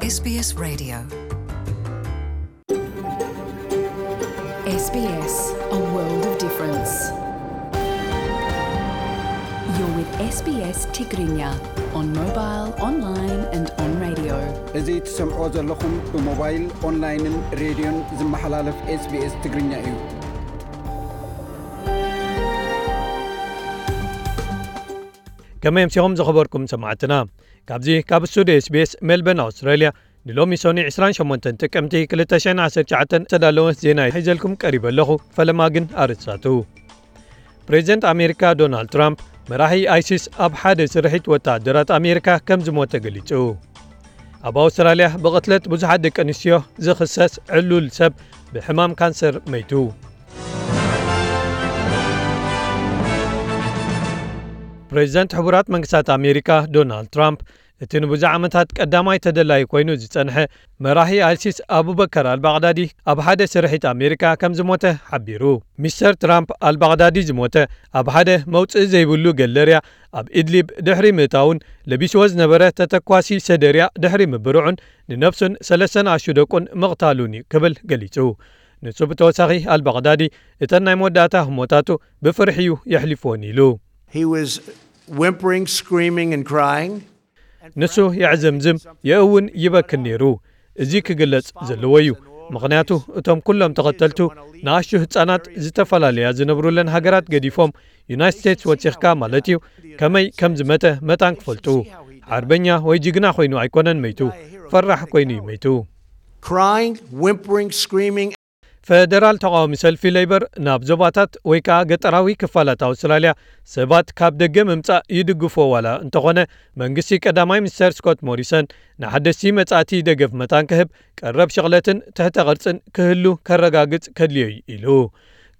SBS Radio. SBS, a world of difference. You're with SBS Tigrinya on mobile, online and on radio. እዚ ትሰምዖ ዘለኹም ብሞባይል፣ ኦንላይንን ሬድዮን ዝመሓላለፍ SBS ትግርኛ እዩ። ከመይ ኣምሲኹም ዝኸበርኩም ሰማዕትና? ካብዚ ካብ ስቱዲዮ SBS ሜልበርን ኣውስትራልያ ንሎሚ ሶኒ ዕስራን ሸሞንተን ጥቅምቲ ክልተ ሽሕን ዓሰርተ ትሽዓተን ዝተዳለወ ዜና ሒዘልኩም ቀሪበ ኣለኹ። ፈለማ ግን ኣርእስታቱ። ፕሬዚደንት ኣሜሪካ ዶናልድ ትራምፕ መራሒ ኣይሲስ ኣብ ሓደ ስርሒት ወታደራት ኣሜሪካ ከም ዝሞተ ገሊጹ። ኣብ ኣውስትራልያ ብቕትለት ብዙሓት ደቂ ኣንስትዮ ዝኽሰስ ዕሉል ሰብ ብሕማም ካንሰር መይቱ። ፕሬዚደንት ሕቡራት መንግስታት ኣሜሪካ ዶናልድ ትራምፕ እቲ ንብዙሕ ዓመታት ቀዳማይ ተደላዩ ኮይኑ ዝጸንሐ መራሒ ኣይሲስ ኣቡበከር ኣልባግዳዲ ኣብ ሓደ ስርሒት ኣሜሪካ ከም ዝሞተ ሓቢሩ። ሚስተር ትራምፕ ኣልባግዳዲ ዝሞተ ኣብ ሓደ መውጽኢ ዘይብሉ ገለርያ ኣብ ኢድሊብ ድሕሪ ምእታውን ለቢስዎ ዝነበረ ተተኳሲ ሰደርያ ድሕሪ ምብርዑን ንነብሱን ሰለስተ ንኣሽቱ ደቁን ምቕታሉን እዩ ክብል ገሊጹ። ንሱ ብተወሳኺ ኣልባግዳዲ እተን ናይ መወዳእታ ህሞታቱ ብፍርሒ እዩ የሕሊፍወን ኢሉ። He was whimpering, screaming, and crying. ንሱ የዕዘምዝም፣ የእውን ይበክን ነይሩ። እዚ ክግለጽ ዘለዎ እዩ። ምኽንያቱ እቶም ኩሎም ተኸተልቱ ንኣሽቱ ህጻናት ዝተፈላለያ ዝነብሩለን ሃገራት ገዲፎም ዩናይትድ ስቴትስ ወጺኽካ ማለት እዩ። ከመይ ከም ዝመተ መታን ክፈልጡ። ሓርበኛ ወይ ጅግና ኮይኑ ኣይኮነን መይቱ፣ ፈራሕ ኮይኑ እዩ መይቱ። Crying, whimpering, screaming. ፈደራል ተቓዋሚ ሰልፊ ሌበር ናብ ዞባታት ወይ ከኣ ገጠራዊ ክፋላት ኣውስትራልያ ሰባት ካብ ደገ ምምጻእ ይድግፎ ዋላ እንተኾነ፣ መንግስቲ ቀዳማይ ሚኒስተር ስኮት ሞሪሰን ንሓደስቲ መጻእቲ ደገፍ መታን ክህብ፣ ቀረብ ሽቕለትን ትሕተ ቅርጽን ክህሉ ከረጋግጽ ከድልዮ እዩ ኢሉ።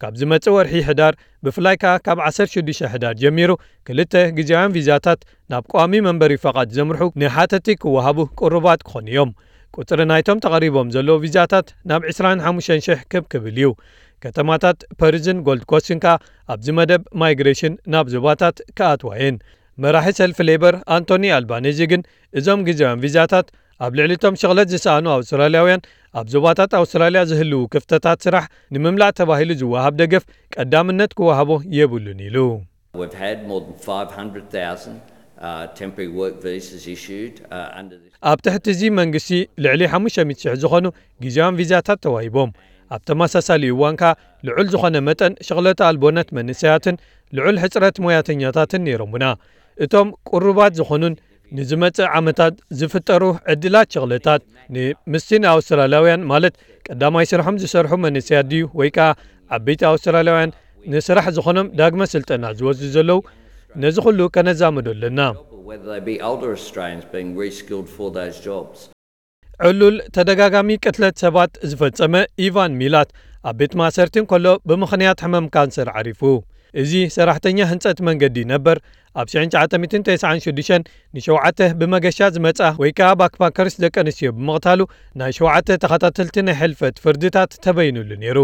ካብ ዝመጽእ ወርሒ ሕዳር፣ ብፍላይ ከኣ ካብ ዓሰርተ ሽዱሽተ ሕዳር ጀሚሩ፣ ክልተ ግዜያውያን ቪዛታት ናብ ቋሚ መንበሪ ፈቓድ ዘምርሑ ንሓተቲ ክወሃቡ ቅሩባት ክኾኑ እዮም። ቁጽሪ ናይቶም ተቐሪቦም ዘለዉ ቪዛታት ናብ ዕስራን ሓሙሽተን ሽሕ ክብ ክብል እዩ። ከተማታት ፐርዝን ጎልድ ኮስትን ከኣ ኣብዚ መደብ ማይግሬሽን ናብ ዞባታት ክኣትዋ እየን። መራሒ ሰልፊ ሌበር ኣንቶኒ ኣልባኔዚ ግን እዞም ግዜያውያን ቪዛታት ኣብ ልዕሊ እቶም ሽቕለት ዝሰኣኑ ኣውስትራልያውያን ኣብ ዞባታት ኣውስትራልያ ዝህልዉ ክፍተታት ስራሕ ንምምላእ ተባሂሉ ዝወሃብ ደገፍ ቀዳምነት ክወሃቦ የብሉን ኢሉ። We've had more than five hundred thousand, uh, temporary work visas issued, uh, under this. ኣብ ትሕቲ እዚ መንግስቲ ልዕሊ ሓሙሽተ ሚእቲ ሽሕ ዝኾኑ ግዜያውያን ቪዛታት ተዋሂቦም። ኣብ ተመሳሳሊ እዋን ከኣ ልዑል ዝኾነ መጠን ሽቕለተ ኣልቦነት መንእሰያትን ልዑል ሕጽረት ሞያተኛታትን ነይሮምና። እቶም ቅሩባት ዝኾኑን ንዝመጽእ ዓመታት ዝፍጠሩ ዕድላት ሽቕለታት ንምስቲ ንኣውስትራልያውያን ማለት ቀዳማይ ስርሖም ዝሰርሑ መንእሰያት ድዩ ወይ ከኣ ዓበይቲ ኣውስትራልያውያን ንስራሕ ዝኾኖም ዳግመ ስልጠና ዝወስዱ ዘለዉ፣ ነዚ ኩሉ ከነዛምዶ ኣለና። Whether they be older Australians being reskilled for those jobs. ዕሉል ተደጋጋሚ ቅትለት ሰባት ዝፈጸመ ኢቫን ሚላት ኣብ ቤት ማእሰርቲ እንከሎ ብምኽንያት ሕመም ካንሰር ዓሪፉ። እዚ ሰራሕተኛ ህንጸት መንገዲ ነበር ኣብ ሽሕን ትሽዓተ ሚእትን ተስዓን ሽዱሽተን ንሸውዓተ ብመገሻ ዝመጻ ወይ ከኣ ባክፓከርስ ደቂ ኣንስትዮ ብምቕታሉ ናይ ሸውዓተ ተኸታተልቲ ናይ ሕልፈት ፍርድታት ተበይኑሉ ነይሩ።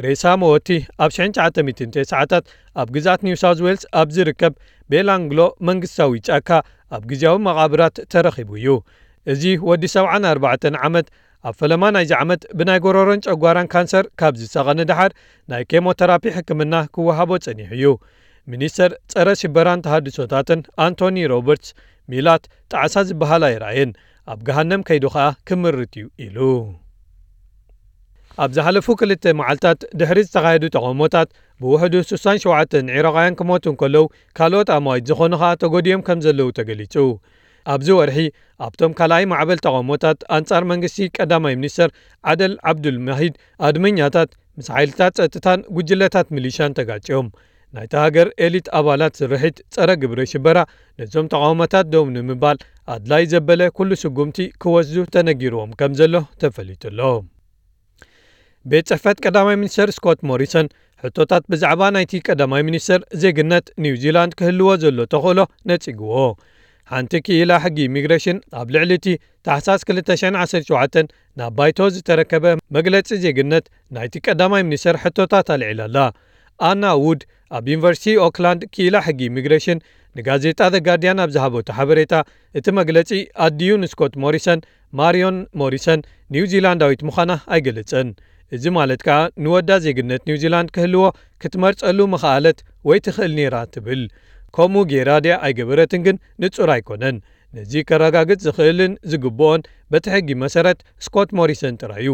ሬሳ መወቲ ኣብ ሽሕን ትሽዓተ ሚእትን ተስዓታት ኣብ ግዝኣት ኒው ሳውዝ ዌልስ ኣብ ዝርከብ ቤላንግሎ መንግስታዊ ጫካ ኣብ ግዝያዊ መቓብራት ተረኺቡ እዩ። እዚ ወዲ ሰብዓን ኣርባዕተን ዓመት ኣብ ፈለማ ናይዚ ዓመት ብናይ ጎረሮን ጨጓራን ካንሰር ካብ ዝሳቐ ንደሓር ናይ ኬሞተራፒ ሕክምና ክወሃቦ ጸኒሑ እዩ። ሚኒስተር ጸረ ሽበራን ተሃድሶታትን ኣንቶኒ ሮበርትስ ሚላት ጣዕሳ ዝበሃል ኣይረኣየን፣ ኣብ ገሃነም ከይዱ ኸኣ ክምርት እዩ ኢሉ። ኣብ ዝሓለፉ ክልተ መዓልታት ድሕሪ ዝተኻየዱ ተቓውሞታት ብውሕዱ ስሳን ሸውዓተን ዒራቓውያን ክሞቱ እንከለዉ ካልኦት ኣማዊት ዝኾኑ ኸኣ ተጎዲኦም ከም ዘለዉ ተገሊጹ። ኣብዚ ወርሒ ኣብቶም ካልኣይ ማዕበል ተቓውሞታት ኣንጻር መንግስቲ ቀዳማይ ሚኒስተር ዓደል ዓብዱል ማሂድ ኣድመኛታት ምስ ሓይልታት ጸጥታን ጉጅለታት ሚሊሻን ተጋጭዮም። ናይታ ሃገር ኤሊት ኣባላት ስርሒት ጸረ ግብረ ሽበራ ነዞም ተቓውሞታት ደው ንምባል ኣድላይ ዘበለ ኩሉ ስጉምቲ ክወስዱ ተነጊርዎም ከም ዘሎ ተፈሊጡ ኣሎ። ቤት ጽሕፈት ቀዳማይ ሚኒስተር ስኮት ሞሪሰን ሕቶታት ብዛዕባ ናይቲ ቀዳማይ ሚኒስተር ዜግነት ኒውዚላንድ ክህልዎ ዘሎ ተኽእሎ ነጺግዎ። ሓንቲ ክኢላ ሕጊ ኢሚግሬሽን ኣብ ልዕሊ እቲ ታሕሳስ ክልተ ሽሕን ዓሰርተ ሸውዓተን ናብ ባይቶ ዝተረከበ መግለጺ ዜግነት ናይቲ ቀዳማይ ሚኒስተር ሕቶታት ኣልዒላ ኣላ። ኣና ውድ ኣብ ዩኒቨርሲቲ ኦክላንድ ክኢላ ሕጊ ኢሚግሬሽን ንጋዜጣ ዘ ጋርዲያን ኣብ ዝሃበቶ ሓበሬታ፣ እቲ መግለጺ ኣዲኡ ንስኮት ሞሪሰን፣ ማሪዮን ሞሪሰን፣ ኒውዚላንዳዊት ምዃና ኣይገለጸን። እዚ ማለት ከኣ ንወዳ ዜግነት ኒውዚላንድ ክህልዎ ክትመርጸሉ ምኽኣለት ወይ ትኽእል ነይራ ትብል። ከምኡ ገይራ ድያ ኣይገበረትን ግን ንጹር ኣይኮነን። ነዚ ከረጋግጽ ዝኽእልን ዝግብኦን በቲ ሕጊ መሰረት ስኮት ሞሪሰን ጥራይ እዩ።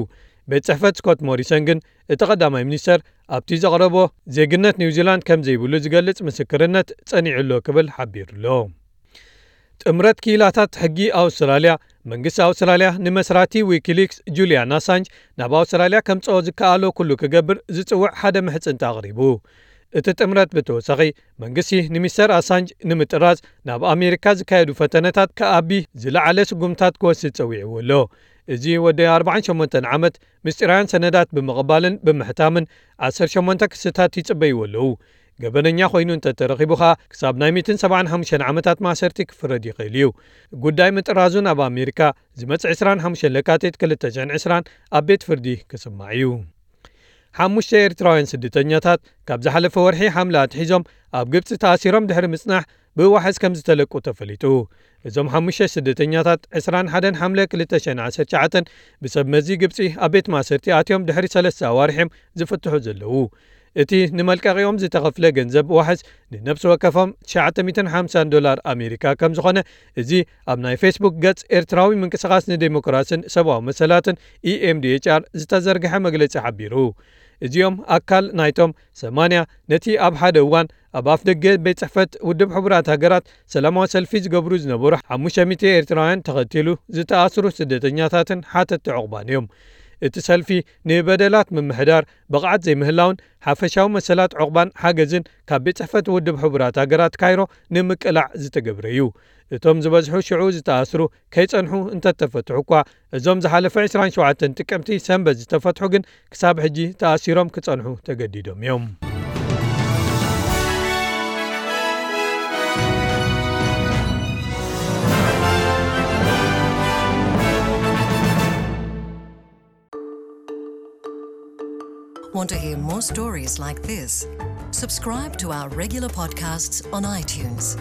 ቤት ጽሕፈት ስኮት ሞሪሰን ግን እቲ ቀዳማይ ሚኒስተር ኣብቲ ዘቕረቦ ዜግነት ኒውዚላንድ ከም ዘይብሉ ዝገልጽ ምስክርነት ጸኒዑ ኣሎ ክብል ሓቢሩ ኣሎ። ጥምረት ክኢላታት ሕጊ ኣውስትራልያ፣ መንግስቲ ኣውስትራልያ ንመስራቲ ዊኪሊክስ ጁልያን ኣሳንጅ ናብ ኣውስትራልያ ከምጽኦ ዝከኣሎ ኩሉ ክገብር ዝጽውዕ ሓደ ምሕጽንታ ኣቕሪቡ። እቲ ጥምረት ብተወሳኺ መንግስቲ ንሚስተር ኣሳንጅ ንምጥራዝ ናብ ኣሜሪካ ዝካየዱ ፈተነታት ከኣቢ ዝለዓለ ስጉምታት ክወስድ ጸዊዕዎ ኣሎ። እዚ ወዲ ኣርባዓን ሸሞንተን ዓመት ምስጢራውያን ሰነዳት ብምቕባልን ብምሕታምን ዓሰርተ ሸሞንተ ክስታት ይጽበይዎ ኣለዉ። ገበነኛ ኮይኑ እንተተረኺቡ ኸኣ ክሳብ ናይ ሚእትን ሰብዓን ሓሙሽተን ዓመታት ማእሰርቲ ክፍረድ ይኽእል እዩ። ጉዳይ ምጥራዙ ናብ ኣሜሪካ ዝመጽእ ዕስራን ሓሙሽተን ለካቲት ክልተ ሽሕን ዕስራን ኣብ ቤት ፍርዲ ክስማዕ እዩ። ሓሙሽተ ኤርትራውያን ስደተኛታት ካብ ዝሓለፈ ወርሒ ሓምለ ኣትሒዞም ኣብ ግብጺ ተኣሲሮም ድሕሪ ምጽናሕ ብዋሕስ ከም ዝተለቁ ተፈሊጡ። እዞም ሓሙሽተ ስደተኛታት ዕስራን ሓደን ሓምለ ክልተ ሽሕን ዓሰርተ ትሽዓተን ብሰብ መዚ ግብጺ ኣብ ቤት ማእሰርቲ ኣትዮም ድሕሪ ሰለስተ ኣዋርሕ እዮም ዝፍትሑ ዘለዉ። እቲ ንመልቀቒኦም ዝተኸፍለ ገንዘብ ዋሕስ ንነብሲ ወከፎም ትሽዓተ ሚእትን ሓምሳን ዶላር ኣሜሪካ ከም ዝኾነ፣ እዚ ኣብ ናይ ፌስቡክ ገጽ ኤርትራዊ ምንቅስቓስ ንዴሞክራስን ሰብኣዊ መሰላትን፣ ኢ ኤም ዲ ኤች ኣር፣ ዝተዘርግሐ መግለጺ ሓቢሩ። እዚኦም ኣካል ናይቶም ሰማንያ ነቲ ኣብ ሓደ እዋን ኣብ ኣፍ ደገ ቤት ጽሕፈት ውድብ ሕቡራት ሃገራት ሰላማዊ ሰልፊ ዝገብሩ ዝነበሩ ሓሙሽተ ሚእቲ ኤርትራውያን ተኸቲሉ ዝተኣስሩ ስደተኛታትን ሓተትቲ ዕቑባን እዮም። እቲ ሰልፊ ንበደላት ምምሕዳር፣ ብቕዓት ዘይምህላውን ሓፈሻዊ መሰላት ዕቑባን ሓገዝን ካብ ቤት ጽሕፈት ውድብ ሕቡራት ሃገራት ካይሮ ንምቅላዕ ዝተገብረ እዩ። እቶም ዝበዝሑ ሽዑ ዝተኣስሩ ከይጸንሑ እንተተፈትሑ እኳ፣ እዞም ዝሓለፈ ዕስራን ሸውዓተን ጥቅምቲ ሰንበት ዝተፈትሑ ግን ክሳብ ሕጂ ተኣሲሮም ክጸንሑ ተገዲዶም እዮም። Want to hear more stories like this? Subscribe to our regular podcasts on iTunes.